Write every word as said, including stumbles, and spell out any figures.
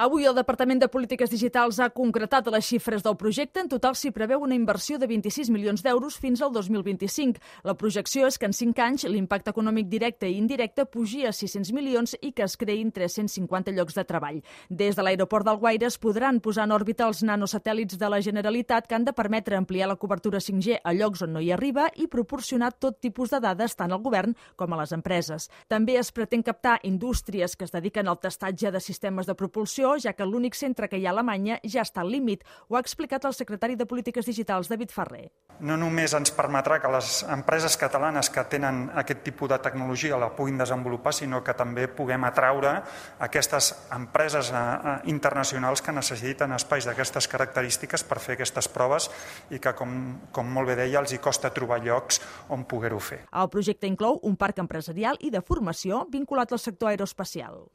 Avui el Departament de Polítiques Digitals ha concretat les xifres del projecte. En total s'hi preveu una inversió de vint-i-sis milions d'euros fins al dos mil vint-i-cinc. La projecció és que en cinc anys l'impacte econòmic directe i indirecte pugi a sis-cents milions i que es creïn tres-cents cinquanta llocs de treball. Des de l'aeroport d'Alguaire es podran posar en òrbita els nanosatèl·lits de la Generalitat que han de permetre ampliar la cobertura cinc G a llocs on no hi arriba i proporcionar tot tipus de dades tant al govern com a les empreses. També es pretén captar indústries que es dediquen al testatge de sistemes de propulsió, ja que l'únic centre que hi ha a Alemanya ja està al límit. Ho ha explicat el secretari de Polítiques Digitals, David Ferrer. No només ens permetrà que les empreses catalanes que tenen aquest tipus de tecnologia la puguin desenvolupar, sinó que també puguem atraure aquestes empreses internacionals que necessiten espais d'aquestes característiques per fer aquestes proves i que, com, com molt bé deia, els hi costa trobar llocs on poder-ho fer. El projecte inclou un parc empresarial i de formació vinculat al sector aeroespacial.